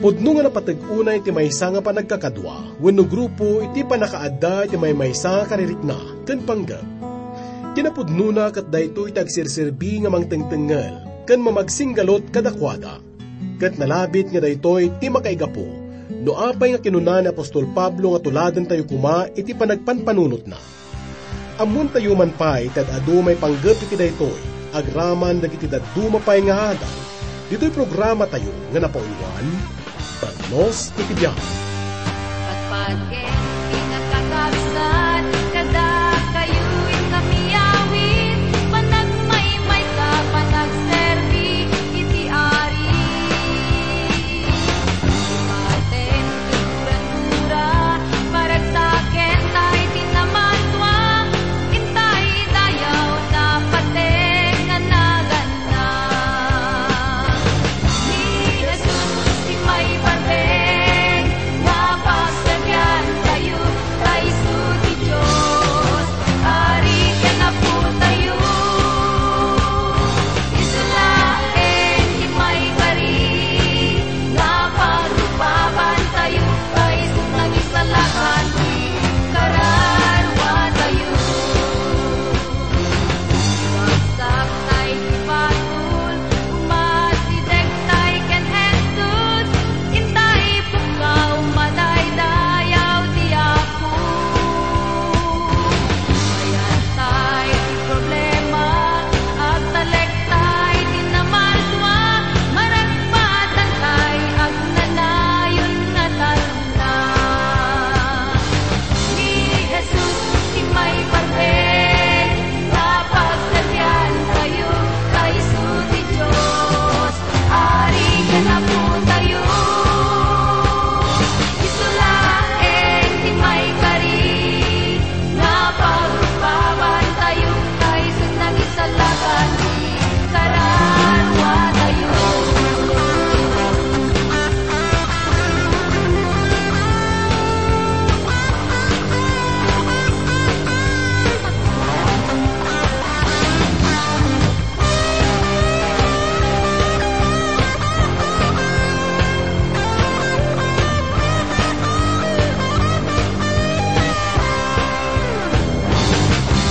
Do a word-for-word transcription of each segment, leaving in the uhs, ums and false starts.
Pudno nga napateg unay ti maysa nga panagkakadua wenno grupo iti pannakaadda iti maymaysa nga karirikna ken panggep. Kinapudnona ket daytoy ti agserserbi nga mangtengtengngel ken mamagsinggalut kadakuada. Ket nalabit nga daytoy ti makaigapu no apay nga kinuna ni apostol Pablo nga tuladentayo koma iti panagpanpanunotna. Ammoentayo man pay ti ad-adu maipanggep iti daytoy agraman dagiti dadduma pay nga adal ditoy programatayo nga napauluan, Talnos iti Biag. Patpatgen ti nakakabsat kadakayo, inkami awit, panagmaymaysa, panagserbi iti Ari. Ipatem ti gura-gura, paragsaken tay ti namaltua, intay dayaw, napateg nga naganna. Ni Jesus ti maiparben nga pagserbiantayo, ta isu ti Dios, Ari ken Apotayo. Isu laeng ti maikari nga pagrupabantayo, ta isu nangisalakan ti kararuatayo. Ragsak tay ti basol, umasideg tay ken Jesus, intay pukkaw, madaydayaw ti Apo. Mayat tay ti problema, agtalek tay ti namaltua, maragpatan tay agnanayon nga talna. Ni Jesus ti maiparben nga pagserbiantayo, ta isu ti Dios, Ari ken Apotayo. Isu laeng ti maikari nga pagrupabantayo, ta isu nangisalakan ti kararuatayo.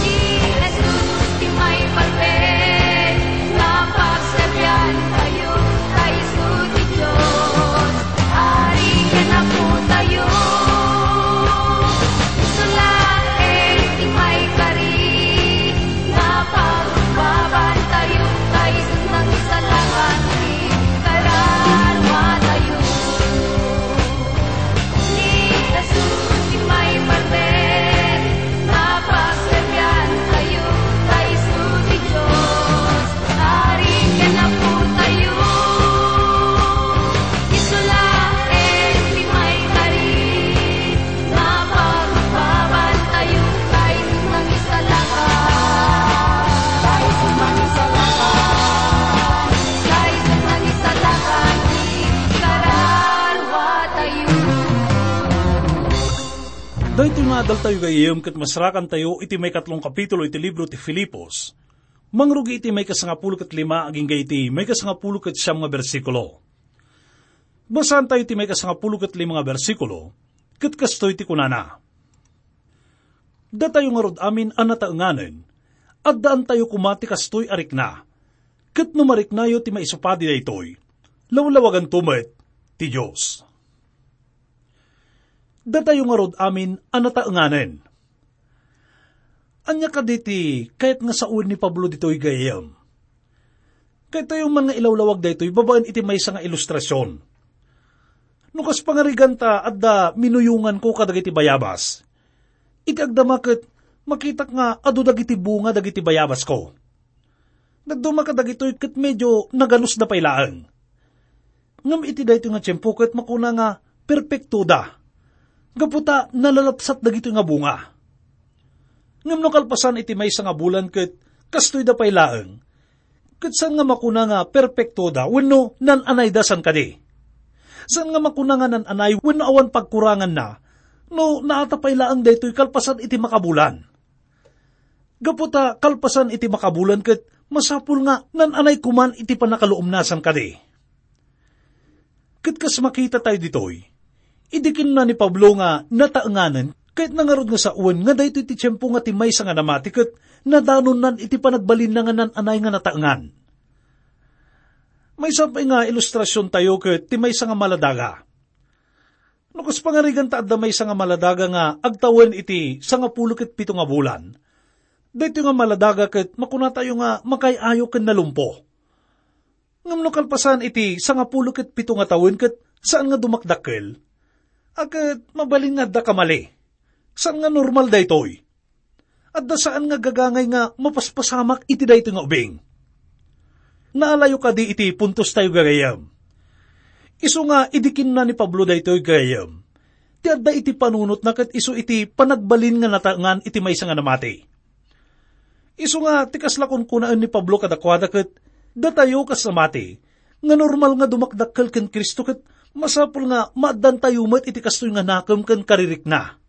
Ni Jesus ti maiparben nga pagserbiantayo, ta isu ti Dios, Ari ken Apotayo. Isu laeng ti maikari nga pagrupabantayo, ta isu nangisalakan ti kararuatayo. Ni Jesus ti maiparben nga pagserbiantayo, ta isu ti Dios, Ari ken Apotayo. Isu laeng ti maikari nga pagrupabantayo, ta isu nangisalakan, ta isu nangisalakan, ta isu nangisalakan ti kararuatayo. Daytoy nga adaltayo, gayyem, ket masrakantayo iti maikatlong kapitulo iti libro ti Filipos. Mangrugi iti maikasangapulo ket lima agingga iti maikasangapulo ket siam nga bersikulo. Basaantayo ti maikasangapulo ket lima nga bersikulo, ket kastoy ti kunana: Datayo ngarud amin a nataenganen, addaantayo koma ti kastoy a rikna, ket no mariknayo ti maisupadi daytoy, lawlawaganto met ti Dios. Datayo ngarud amin a nataenganen. Ania kadi ti kayat nga sawen ni Pablo ditoy, gayyem? Kayatyo man nga ilawlawag daytoy babaen iti maysa nga ilustrasion. No kas pangarigan ta adda minuyonganko kadagiti bayabas, iti agdama ket makitak nga adu dagiti bunga dagiti bayabasko. Dadduma kadagitoy ket medio naganusda pay laeng. Ngem iti daytoy nga tiempo ket makuna nga perpektoda, gapu ta nalalapsat dagitoy nga bunga. Ngem no kalpasan iti maysa nga bulan ket kastoyda pay laeng, ket saan nga makuna nga perpektoda wenno nan-anayda, saan kadi? Saan nga makuna nga nan-anay wenno awan pagkuranganna no naata pay laeng daytoy kalpasan iti makabulan. Gapu ta kalpasan iti makabulan ket masapul nga nan-anay koman iti pannakaluomna, saan kadi? Ket kas makitatayo ditoy, idi kinuna ni Pablo nga nataenganen, kayatna ngarud nga sawen nga daytoy ti tiempo nga ti maysa nga namati ket nadanonnan iti panagbalinna nga naan-anay nga nataengan. Maysa pay nga ilustrasiontayo ket ti maysa nga maladaga. No kas pangarigan ta adda maysa nga maladaga nga agtawen iti sangapulo ket pito nga bulan, daytoy nga maladaga ket makunatayo nga makaay-ayo ken nalumpo. Ngem no kalpasan iti sangapulo ket pito nga tawen ket saan nga dumakdakkel, a ket mabalin nga adda kamali. Saan nga normal daytoy. Adda saan nga gagangay nga mapaspasamak iti daytoy nga ubing. Naalayo kadi iti puntostayo, gagayyem? Isu nga idi kinuna ni Pablo daytoy, gagayyem, ti adda iti panunotna ket isu iti panagbalin nga nataengan iti maysa nga namati. Isu nga ti kasla kunkunaen ni Pablo kadakuada ket datayo kas namati, nga normal nga dumakdakkel ken Cristo ket masapul nga maaddantayo met iti kastoy nga nakem ken karirikna.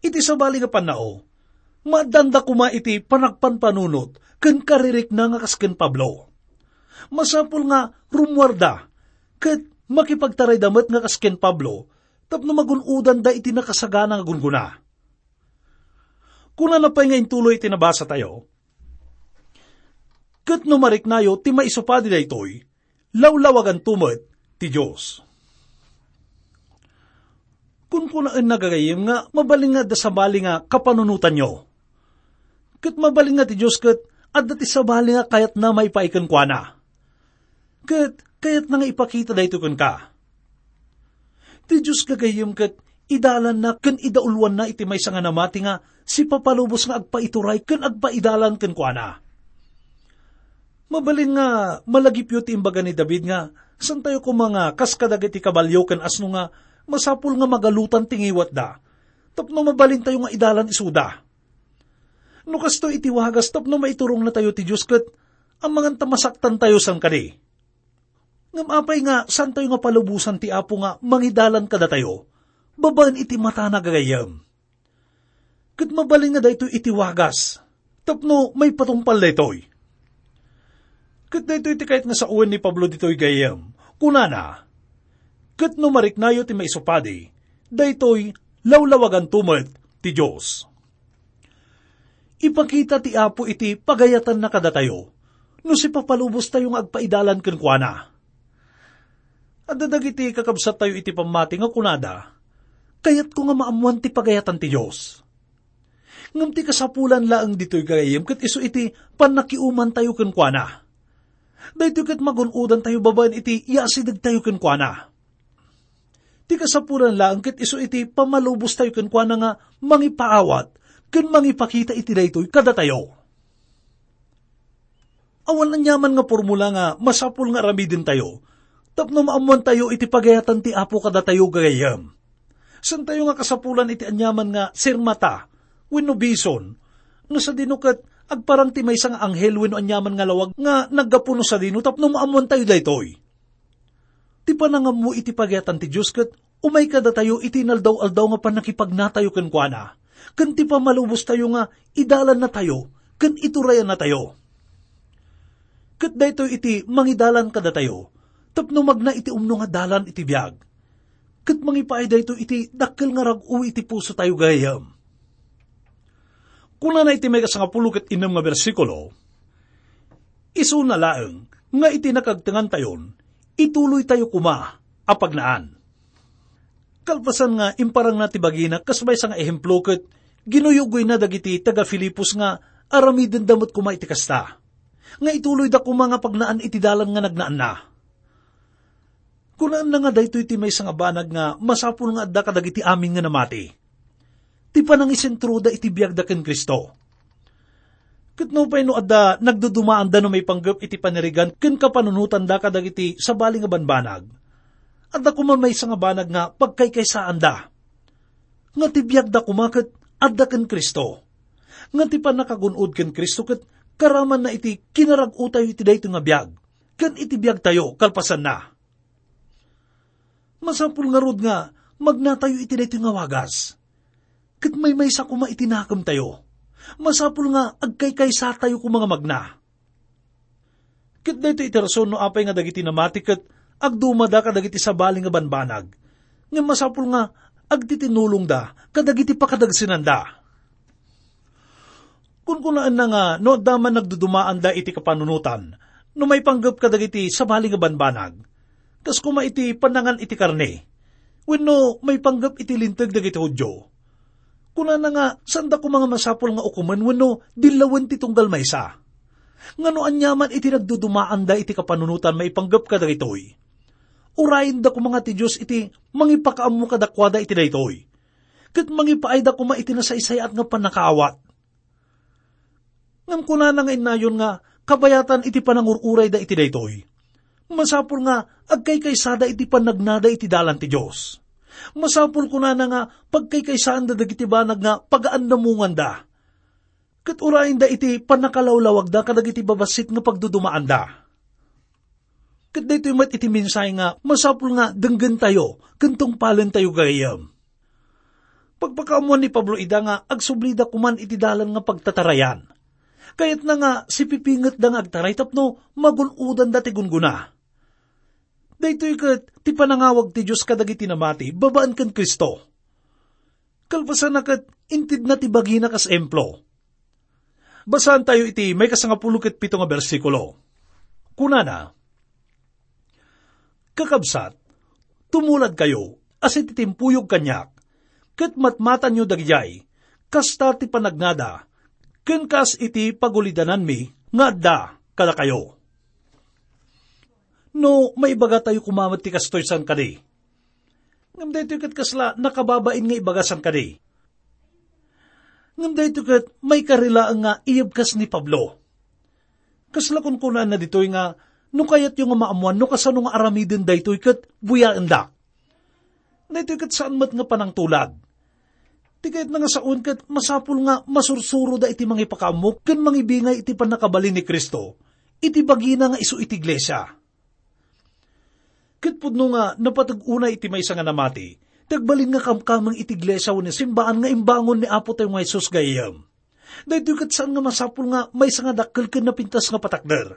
Iti sabali nga pannao, maaddanda koma iti panagpanpanunot ken karirikna nga kas ken Pablo. Masapul nga rummuarda ket makipagtarayda met nga kas ken Pablo tapno magun-odanda iti nakasagana nga gunggona. Kunana pay nga intuloy iti nabasatayo, "Ket no mariknayo ti maisupadi daytoy, lawlawaganto met ti Dios." Kunkunaenna, gagayyem, nga mabalin nga adda sabali nga kapanunotanyo. Ket mabalin nga ti Dios ket adda ti sabali nga kayatna maipaay kenkuana. Ket kayatna nga ipakita daytoy kenka. Ti Dios, gagayyem, ket idalanna ken idauluanna iti maysa nga namati nga sipapalubos nga agpaituray ken agpaidalan kenkuana. Mabalin nga malagipyo ti imbaga ni David nga, "Saantayo koma nga kas kadagiti kabalio ken asno nga masapul nga magalutan ti ngiwatda, tapno mabalintayo nga idalan isuda." No kastoy iti wagas tapno maiturongnatayo ti Dios ket amangan ta masaktantayo, saan kadi? Ngem apay nga saantayo nga palubosan ti Apo nga mangidalan kadatayo babaen iti matana, gagayyem? Ket mabalin nga daytoy iti wagas tapno maipatungpal daytoy. Ket daytoy ti kayat nga sawen ni Pablo ditoy, gayyem. Kunana, "Ket no mariknayo ti maisupadi, daytoy lawlawaganto met ti Dios." Ipakita ti Apo iti pagayatanna kadatayo no sipapalubostayo nga agpaidalan kenkuana. Adda dagiti kakabsattayo iti pammati nga kunada, "Kayatko nga maammoan ti pagayatan ti Dios." Ngem ti kasapulan laeng ditoy, gagayyem, ket isu iti pannakiumantayo kenkuana. Daytoy ket magun-odantayo babaen iti yaasidegtayo kenkuana. Ti kasapulan laeng ket isu iti pammalubostayo kenkuana nga mangipaawat ken mangipakita iti daytoy kadatayo. Awan aniaman nga pormula nga masapul nga aramidentayo tapno maammoantayo iti pagayatan ti Apo kadatayo, gagayyem. Saantayo nga kasapulan iti aniaman nga sirmata wenno bison, no sadino ket agparang ti maysa nga anghel wenno aniaman nga lawag nga naggapu no sadino tapno maammoantayo daytoy. Ti panangammo iti pagayatan ti Dios ket umay kadatayo iti inaldaw-aldaw nga pannakipagnatayo kenkuana, ken ti pammalubostayo nga idalannatayo ken iturayannatayo. Ket daytoy iti mangidalan kadatayo tapno magna iti umno nga dalan iti biag. Ket mangipaay daytoy iti dakkel nga rag-o iti pusotayo, gagayyem. Kunana iti maikasangapulo ket innem nga bersikulo, "Isuna laeng nga iti nakagtengantayon, ituloytayo koma a pagnaan." Kalpasan nga imparangna ti bagina kas maysa nga ehemplo ket ginuyugoyna dagiti taga-Filipos nga aramidenda met koma iti kasta, nga ituloyda koma nga pagnaan iti dalan nga nagnaanna. Kunaenna nga daytoy ti maysa nga banag nga masapul nga adda kadagiti amin nga namati. Ti panangisentroda iti biagda ken Cristo. Ket nupay no adda nagdudumaanda no maipanggep iti panirigan ken kapanunotanda kadagiti sabali nga banbanag, adda koma maysa nga banag nga pagkaykaysaanda. Nga ti biagda koma ket adda ken Cristo. Nga ti pannakagun-od ken Cristo ket karamanna iti kinarag-otayo iti daytoy nga biag, ken iti biagtayo kalpasanna. Masapul ngarud nga magnatayo iti daytoy nga wagas. Ket maymaysa koma iti nakemtayo. Masapul nga agkaykaysatayo koma nga magna. Ket daytoy iti rason no apay nga dagiti namati ket agdumada kadagiti sabali nga banbanag, ngem masapul nga agtitinulongda kadagiti pakadagsenanda. Kunkunaenna nga no adda man nagdudumaanda iti kapanunotan, no maipanggep kadagiti sabali nga banbanag, kas koma iti pannangan iti karne, wenno maipanggep iti linteg dagiti Judio, kunana nga saanda koma nga masapul nga ukomen wenno dillawen ti tunggal maysa. Nga no aniaman iti nagdudumaanda iti kapanunotan maipanggep kadagitoy, urayenda koma nga ti Dios iti mangipakaammo kadakuada iti daytoy, ket mangipaayda koma iti nasaysay-at nga pannakaawat. Ngem kunana nga innayon nga kabayatan iti panangur-urayda iti daytoy, masapul nga agkaykaysada iti pannagnada iti dalan ti Dios. Masapul kunana nga pagkaykaysaanda dagiti banag nga pagaannamonganda, ket urayenda iti pannakalawlawagda kadagiti babassit nga pagdudumaanda. Ket daytoy met iti mensahe nga masapul nga denggentayo ken tungpalentayo gayam. Pagpakaammoan ni Pablo ida nga agsublida koman iti dalan nga pagtatarayan. Kayatna nga sipipingetda nga agtaray tapno magun-odanda ti gunggona. Daytoy ket ti panangawag ti Dios kadagiti namati babaen ken Cristo. Kalpasanna ket intedna ti bagina kas emplo. Basaantayo iti maikasangapulo ket pito nga bersikulo. Kunana, "Kakabsat, tumuladkayo a sititimpuyog kaniak, ket matmatanyo dagijay, kasta ti panagnada, ken kas iti pagulidananmi nga adda kadakayo." No, maibagatayo koma met ti kastoy, saan kadi? Ngem daytoy ket kasla nakababain nga ibaga, saan kadi? Ngem daytoy ket maikari laeng nga iyebkas ni Pablo. Kasla kunkunaanna ditoy nga, no kayatyo nga maammoan no kasano nga aramiden daytoy ket buyaendak. Daytoy ket saan met nga panangtulad. Ti kayatna nga saoen ket masapul nga masursuroda iti mangipakaammo ken mangibingay iti pannakabalin ni Cristo iti bagina nga isu iti iglesia. Ket pudno nga napateg unay iti maysa nga namati, ti agbalin nga kamkameng iti iglesia wenno simbaan nga imbangon ni Apo tayo nga Jesus gayam. Daytoy ket saan nga masapul nga maysa nga dakkel ken napintas nga patakder.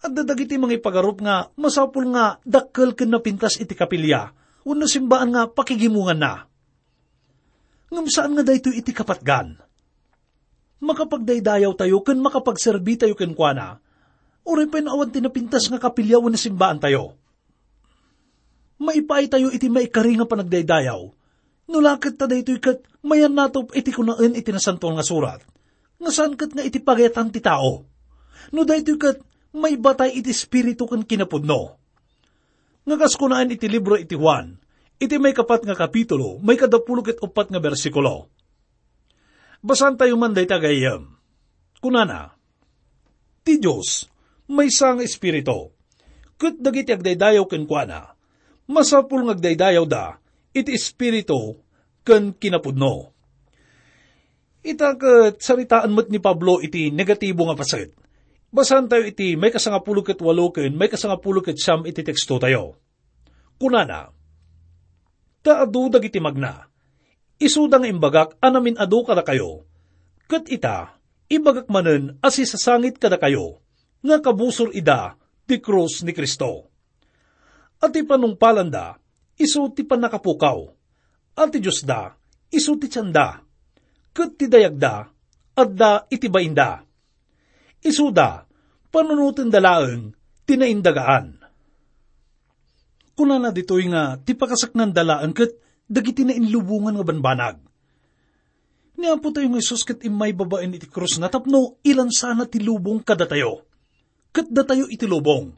Adda dagiti mangipagarup nga masapul nga dakkel ken napintas iti kapilya wenno simbaan nga pakigimonganna. Ngem saan nga daytoy iti kapatgan. Makapagdaydayawtayo ken makapagserbitayo kenkuana, uray pay no awan ti napintas nga kapilya wenno simbaantayo. Maipaaytayo iti maikari nga panagdaydayaw, no la ket ta daytoy ket mayannatop iti kunaen iti Nasantoan nga Surat, nga saan ket nga iti pagayatan ti tao. No daytoy ket maibatay iti espiritu ken kinapudno. Nga kas kunaen iti libro iti Juan, iti maikapat nga kapitulo, maikadapulo ket uppat nga bersikulo. Basaantayo man dayta gayam. Kunana, "Ti Dios, maysa nga Espiritu, ket dagiti agdaydayaw kenkuana, masapul nga agdaydayawda iti Espiritu ken kinapudno." Ita ket saritaen met ni Pablo iti negatibo nga paset. Basaantayo iti maikasangapulo ket walo ken maikasangapulo ket siam iti tekstotayo. Kunana, "Ta adu dagiti magna, isuda nga imbagak a namin-adu kadakayo, ket ita, ibagak manen a sisasangit kadakayo nga kabusor ida ti krus ni Cristo. A ti panungpalanda, isu ti pannakapukaw, a ti Diosda, isu ti tienda, ket ti dayagda, adda iti bainda. Isuda, panunotenda laeng ti naindagaan." Kunana ditoy nga ti pakasaknanda laeng ket dagiti nainlubongan nga banbanag. Ni Apo tayo nga Jesus ket immay babaen iti krusna tapno ilansana ti lubong kadatayo. Ket datayo iti lubong.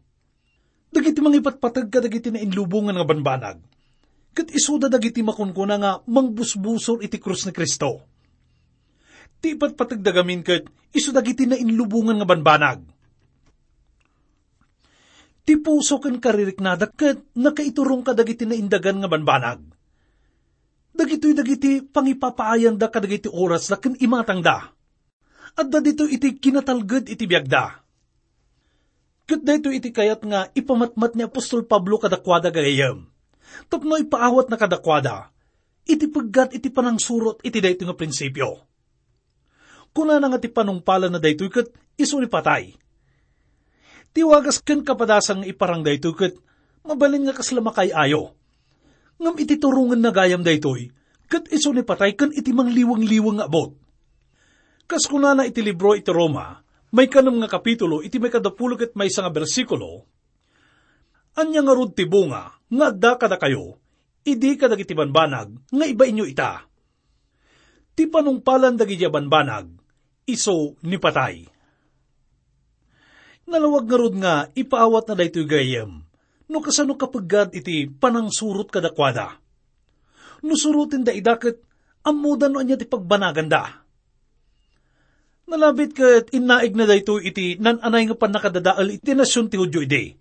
Dagiti mangipatpateg kadagiti nainlubongan nga banbanag, ket isuda dagiti makunkuna nga mangbusbusor iti krus ni Cristo. Ti ipatpategda gamin ket isu dagiti nainlubongan nga banbanag. Ti puso ken kaririknada ket nakaiturong kadagiti naindagan nga banbanag. Dagitoy dagiti pangipapaayanda kadagiti orasda ken imatangda. Adda ditoy iti kinatalged iti biagda. Ket daytoy iti kayat nga ipamatmat ni apostol Pablo kadakuada gayam, tapno ipaawatna kadakuada iti peggat iti panangsurot iti daytoy nga prinsipio. Kunana nga ti panungpalanna daytoy ket isu ni patay. Ti wagas ken kapadasan nga iparang daytoy ket mabalin nga kasla makaay-ayo. Ngem iti turongenna gayam daytoy, ket isu ni patay ken iti mangliwengweng nga abut. Kas kunana iti libro iti Roma, maikanem nga kapitulo, iti maikadapulo ket maysa nga bersikulo, "Ania ngarud ti bunga nga adda kadakayo idi kadagiti banbanag nga ibainyo ita? Ti panungpalan dagiti a banbanag, isu ni patay." Nalawag ngarud nga ipaawatna daytoy gayyem no kasano kapeggad iti panangsurot kadakuada. No surotenda ida ket ammoda no ania ti pagbanaganda. Nalabit ket innaigna daytoy iti nan-anay nga pannakadadael iti nasion ti Judio idi.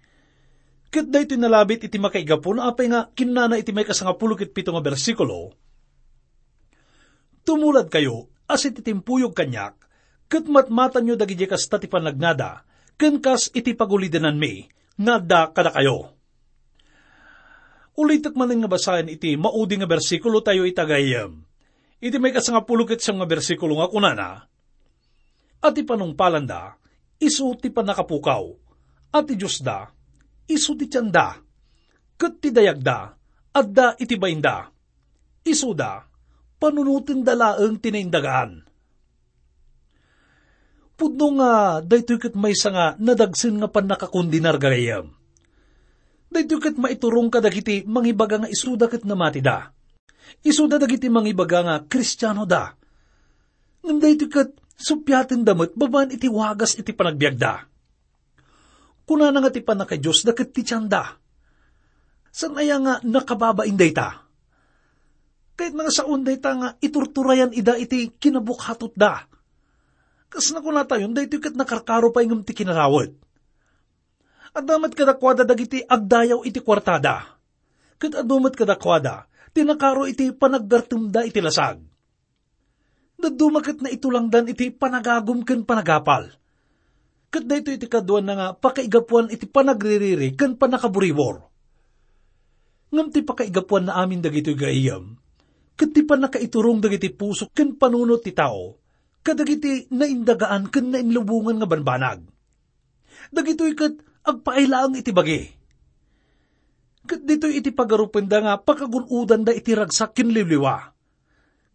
Ket daytoy nalabit iti makaigapuna apay nga kinnana iti maikasangapulo ket pito nga bersikulo, "Tumuladkayo a sititimpuyog kaniak, ket matmatanyo dagiti kasta ti panagnada, ken kas iti pagulidananmi nga adda kadakayo." Ulitek manen nga basaen iti maudi nga bersikulo tayo ita gayyem. Iti maikasangapulo ket siam nga bersikulo nga kunana, "A ti panungpalanda, isu ti pannakapukaw, a ti Diosda, isu ti tianda, ket ti dayagda, adda iti bainda. Isuda, panunotenda laeng ti naindagaan." Pudno nga daytoy ket maysa nga nadagsen nga pannakakondenar, gagayyem. Daytoy ket maiturong kadagiti mangibaga nga isuda ket namatida. Isuda dagiti mangibaga nga Kristianoda. Ngem daytoy ket suppiatenda met babaen iti wagas iti panagbiagda. Kunana nga ti pannakadiosda ket ti tianda. Saan aya nga nakababain dayta? Kayatna nga saoen dayta nga iturturayan ida iti kinabukhatotda. Kas nakunatayon, daytoy ket nakarkaro pay ngem ti kinarawet. Adda met kadakuada dagiti agdayaw iti kuartada. Ket adu met kadakuada ti nakaro iti panaggartemda iti lasag. Dadduma ket naitulangdan iti panagagum ken panagapal. Ket daytoy ti kaduanna nga pakaigapuan iti panagririri ken pannakaburibor. Ngem ti pakaigapuanna amin dagitoy gayyem, ket ti pannakaiturong dagiti puso ken panunot ti tao kadagiti naindagaan ken nainlubongan nga banbanag. Dagitoy ket agpaay laeng iti bagi. Ket ditoy iti pagarupenda nga pakagun-odanda iti ragsak ken liwliwa,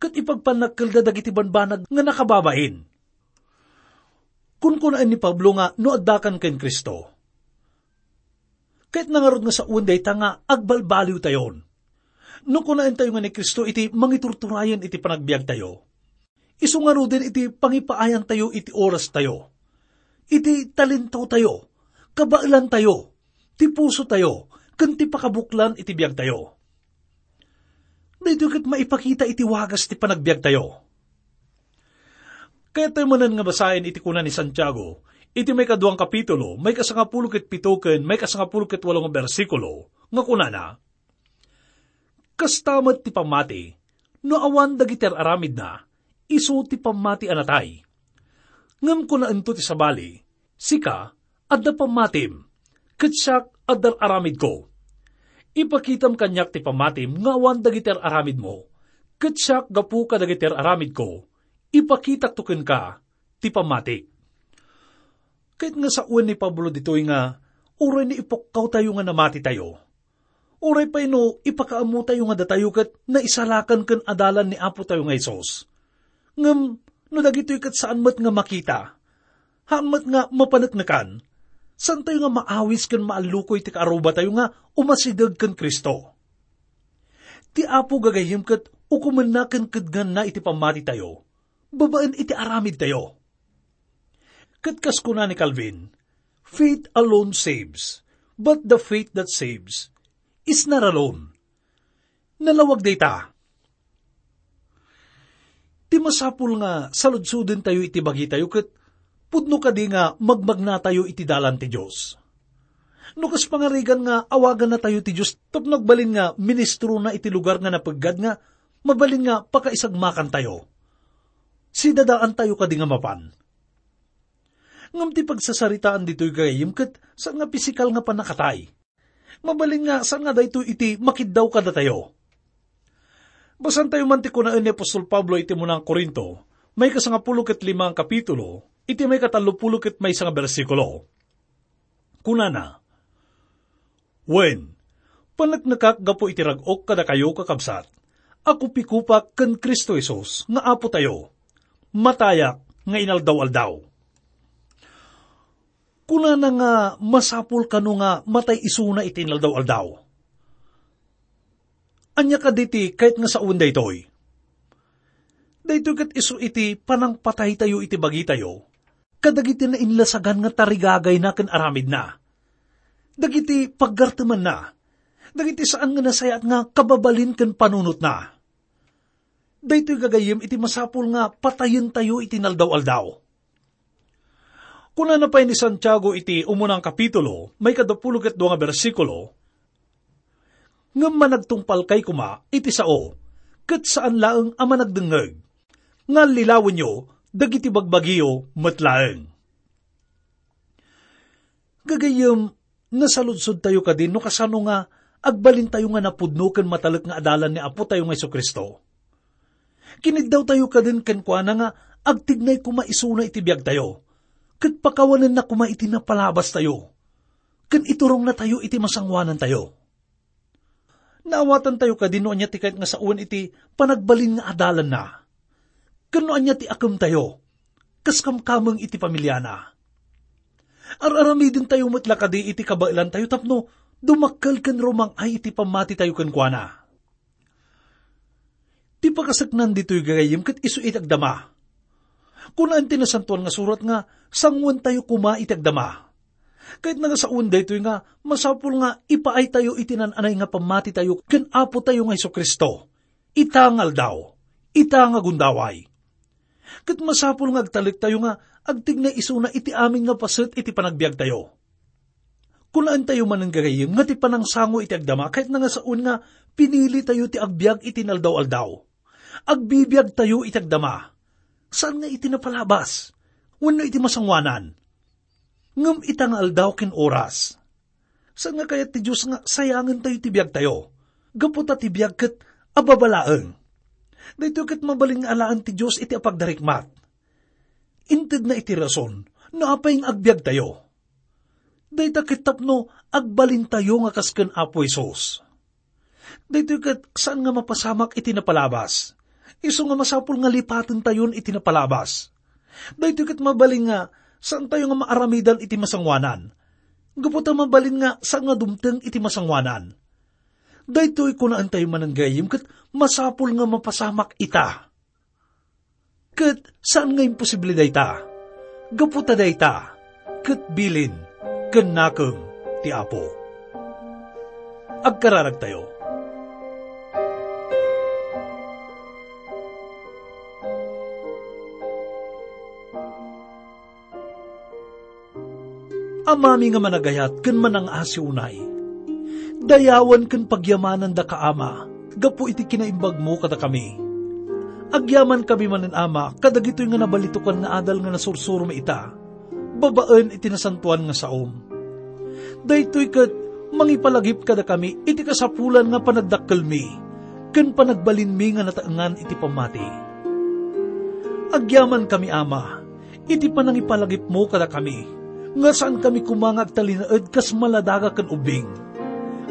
ket ipagpannakkelda dagiti banbanag nga nakababain. Kunkunaen ni Pablo nga no addakan ken Cristo, kayatna ngarud nga sawen dayta nga agbalbaliwtayon. No kunaentayo nga ni Cristo iti mangiturturayen iti panagbiagtayo, isu ngaruden iti pangipaayantayo iti orastayo, iti talentotayo, kabaelantayo, ti pusotayo, ken ti pakabuklan iti biagtayo. Daytoy ket maipakita iti wagas ti panagbiagtayo. Kayatyo manen nga basaen iti kuna ni Santiago, iti maikaduang kapitulo, maikasangapulo ket pito ken maikasangapulo ket walo nga bersikulo, nga kunana, "Kasta met ti pammati, no awan dagiti ar-aramidna, isu ti pammati a natay. Ngem kunaento ti sabali, 'Sika, adda pammatim, ket siak, adda ar-aramidko. Ipakitam kaniak ti pammatim nga awan dagiti ar-aramidmo, ket siak, gapu kadagiti ar-aramidko, ipakitakto kenka ti pammatik.'" Ket nga sawen ni Pablo ditoy nga, uray ni ipukkawtayo nga namatitayo, uray pay no ipakaammotayo nga datayo ket naisalakan ken adalan ni Apotayo nga Jesus. Ngem no dagitoy ket saan met nga makita, haan met nga mapaneknekan, saantayo nga maawis ken maallukoy ti kaarrubatayo nga umasideg ken Cristo. Ti Apo gagayyem ket ukomenna ken kednganna iti pammatitayo, babaen iti aramidtayo. Ket kas kuna ni Calvin, "Faith alone saves, but the faith that saves is not alone." Nalawag dayta. Ti masapul nga saludsodentayo iti bagitayo ket pudno kadi nga magmagnatayo iti dalan ti Dios. No kas pangarigan nga awagannatayo ti Dios tapno agbalin nga ministrona iti lugar nga napeggad nga mabalin nga pakaisagmakantayo, sidadaantayo kadi nga mapan. Ngem ti pagsasaritaan ditoy gagayyem ket saan nga pisikal nga pannakatay. Mabalin nga saan nga daytoy iti makiddaw kadatayo. Basantayo man ti kunaen ni apostol Pablo iti muna nga Corinto, maikasangapulo ket lima nga kapitulo, iti maikatallopulo ket maysa nga bersikulo. Kunana, "Wen, paneknekak gapu iti rag-ok kadakayo, kakabsat, a kupikupak ken Cristo Jesus nga Apotayo, matayak nga inaldaw-aldaw." Kunana nga masapul kano nga matay isuna iti inaldaw-aldaw. Ania kadi ti kayat nga sawen daytoy? Daytoy ket isu iti panangpataytayo iti bagitayo kadagiti nainlasagan nga tarigagayna ken aramidna, dagiti paggartemanna, dagiti saan nga nasayaat nga kababalin ken panunotna. Daytoy gagayyem iti masapul nga patayentayo iti inaldaw-aldaw. Kunana pay ni Santiago iti umunang kapitulo, maikadapulo ket dua nga bersikulo, "Ngem managtungpalkay koma iti sao, ket saan laeng a managdengngeg, nga allilawenyo dagiti bagbagiyo met laeng." Gagayyem, nasaludsodtayo kadi no kasano nga agbalintayo nga napudno ken matalek nga adalan ni Apotayo nga Jesu-Cristo? Kiniddawtayo kadin kenkuana nga agtignay koma isuna iti biagtayo, ket pakawanenna koma iti napalabastayo, ken iturongnatayo iti masangoanantayo. Naawatantayo kadi no ania ti kayat nga sawen iti panagbalin nga adalanna, ken no ania ti akemtayo, kas kamkameng iti pamiliana. Ar-aramidentayo met la kadi iti kabaelantayo tapno dumakkel ken rumang-ay iti pammatitayo kenkuana. Ti pakaseknan ditoy gagayyem ket isu iti agdama. Kunaen ti Nasantoan nga Surat nga sanguentayo koma iti agdama. Kayatna nga sawen daytoy nga masapul nga ipaaytayo iti nan-anay nga pammatitayo ken Apotayo nga Jesu-Cristo, ita nga aldaw, ita nga gundaway. Ket masapul nga agtalektayo nga agtignay isuna iti amin nga paset iti panagbiagtayo. Kunaentayo manen gagayyem nga ti panangsango iti agdama kayatna nga sawen nga pinilitayo ti agbiag iti inaldaw-aldaw. Agbibiagtayo iti agdama. Saan nga iti napalabas wenno iti masangoanan, ngem ita nga aldaw ken oras. Saan nga kayat ti Dios nga sayangentayo ti biagtayo, gapu ta ti biag ket ababa laeng. Daytoy ket mabalin nga alaen ti Dios iti apagdarikmat. Intedna iti rason no apay nga agbiagtayo. Dayta ket tapno agbalintayo nga kas ken Apo Jesus. Daytoy ket saan nga mapasamak iti napalabas. Isu nga masapul nga lipatentayon iti napalabas. Daytoy ket mabalin nga saantayo nga maaramidan iti masangoanan. Gapu ta mabalin nga saan nga dumteng iti masangoanan. Daytoy kunaentayo manen gayam ket masapul nga mapasamak ita. Ket saan nga imposible dayta, gapu ta dayta ket bilin ken nakem ti Apo. Agkararagtayo. Amami nga managayat ken manang-asi unay, dayawen ken pagyamanandaka, Ama, gapu iti kinaimbagmo kadakami. Agyamankami manen, Ama, kadagitoy nga nabalitokan nga adal nga nasursurom ita, babaen iti nasantoan nga saom. Daytoy ket mangipalagip kadakami iti kasapulan nga panagdakkelmi ken panagbalinmi nga nataengan iti pammati. Agyamankami, Ama, iti panangipalagipmo kadakami, nga saankami koma nga agtalinaed kas maladaga ken ubbing,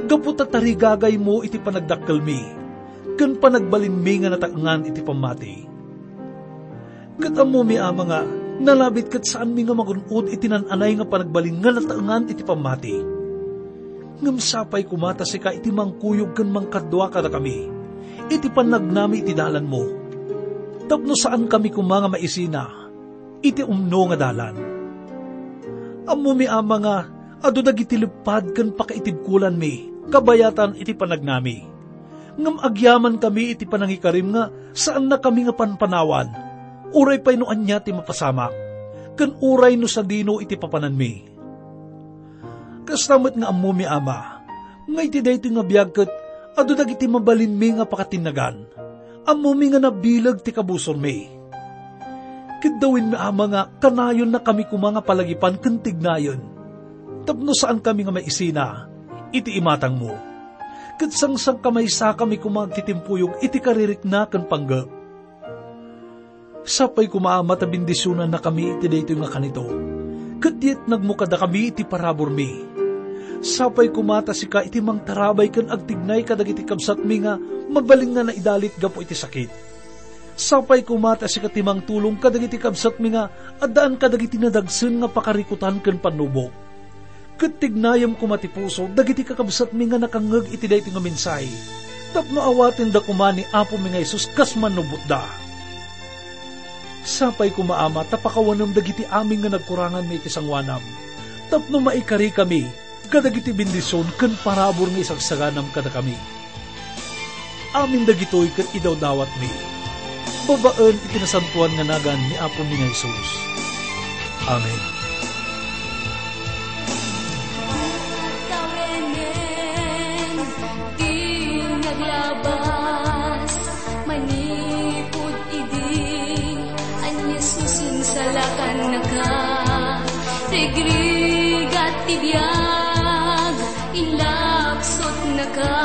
gapu ta tarigagaymo iti panagdakkelmi ken panagbalinmi nga nataengan iti pammati. Ket ammomi, Ama, nga nalabit ket saanmi nga magun-od iti nan-anay nga panagbalin nga nataengan iti pammati. Ngem sapay koma ta sika iti mangkuyog ken mangkadua kadakami iti pannagnami iti dalanmo, tapno saankami koma nga maisina iti umno nga dalan. Ammomi, Ama, nga adu dagiti leppad ken pakaitibkolanmi kabayatan iti panagnami. Ngem agyamankami iti panangikarim nga saannakami nga panpanawan, uray pay no ania ti mapasamak, ken uray no sadino iti papananmi. Kasta met nga ammomi, Ama, nga iti daytoy nga biag ket adu dagiti mabalinmi nga pakatinnagan. Ammomi nga nabileg ti kabusormi. Ket dawinmi, Ama, nga kanayonnakami koma nga palagipan ken tignayen, tapno saankami nga maisina iti imatangmo, ket sangsangkamaysakami koma agtitimpuyog iti karirikna ken panggep. Sapay koma, Ama, ta bendisionannakami iti daytoy nga kanito, ket Itnagmo kadakami iti paraburmi. Sapay koma ta sika iti mangtarabay ken agtignay kadagiti kabsatmi nga mabalin nga naidalit gapu iti sakit. Sapay koma ta sika ti mangtulong kadagiti kabsatmi nga addaan kadagiti nadagsen nga pakarikutan ken pannubok. Ket tignayem koma ti puso dagiti kakabsatmi nga nakangngeg iti daytoy nga mensahe, tapno awatenda koma ni Apomi nga Jesus kas mannubotda. Sapay koma, Ama, ta pakawanem dagiti amin nga nagkuranganmi iti sangoanam, tapno maikarikami kadagiti bendision ken parabur nga isagsaganam kadakami. Amin dagitoy ket idawdawatmi, babaen iti nasantoan nga nagan ni Apomi nga Jesus. Amen. Tawenen ti naglabas manipud idi, a ni Jesus insalakannaka, rigrigat ti biag, inlapsutnaka,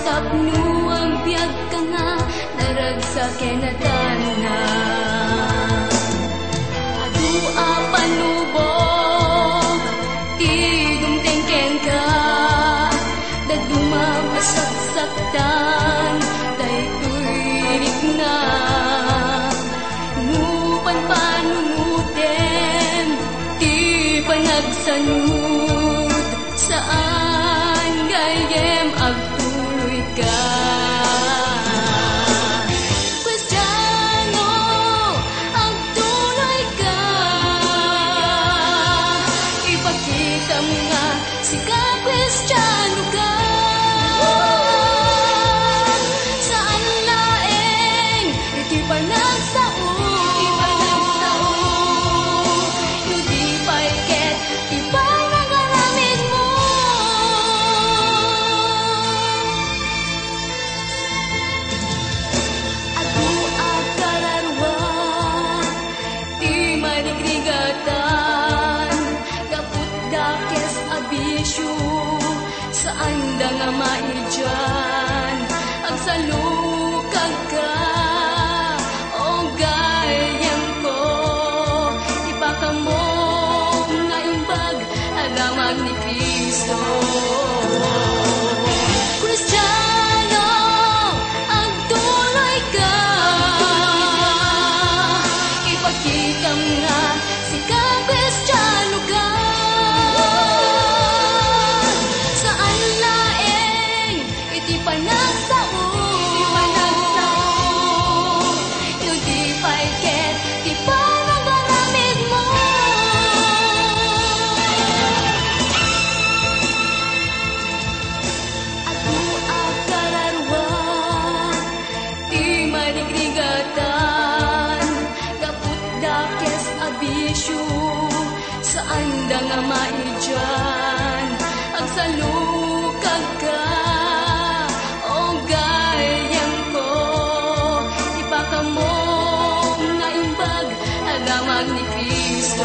tapno agbiagka nga naragsak ken natanna. Adu a panubok ti dumteng kenka, dadduma a saksaktan daytoy rikna. No panpanunotem ti panagsanud, saan gayyem agtuloyka. Kristiano, agtuloyka. Ipakitam nga sika Kristianoka. Saan laeng iti panagsao, iti panagsao, no di pay ket ti panagaramidmo. Adu a kararua ti marigrigatan, gapu dakes a bisio, saanda nga maidian. Agsalukagka, o gayyemko, ipakamok nga imbag a damag ni Cristo. Kristiano, agtuloyka. Ipakitam nga sika Kristianoka. Saan laeng iti panagsao, iti panagsao, no di pay ket ti panagaramidmo. Adu a kararua ti marigrigatan, gapu dakes a bisio, saanda nga maidian. Agsalukagka, o gayyemko, ipakamok nga imbag a damag ni Cristo.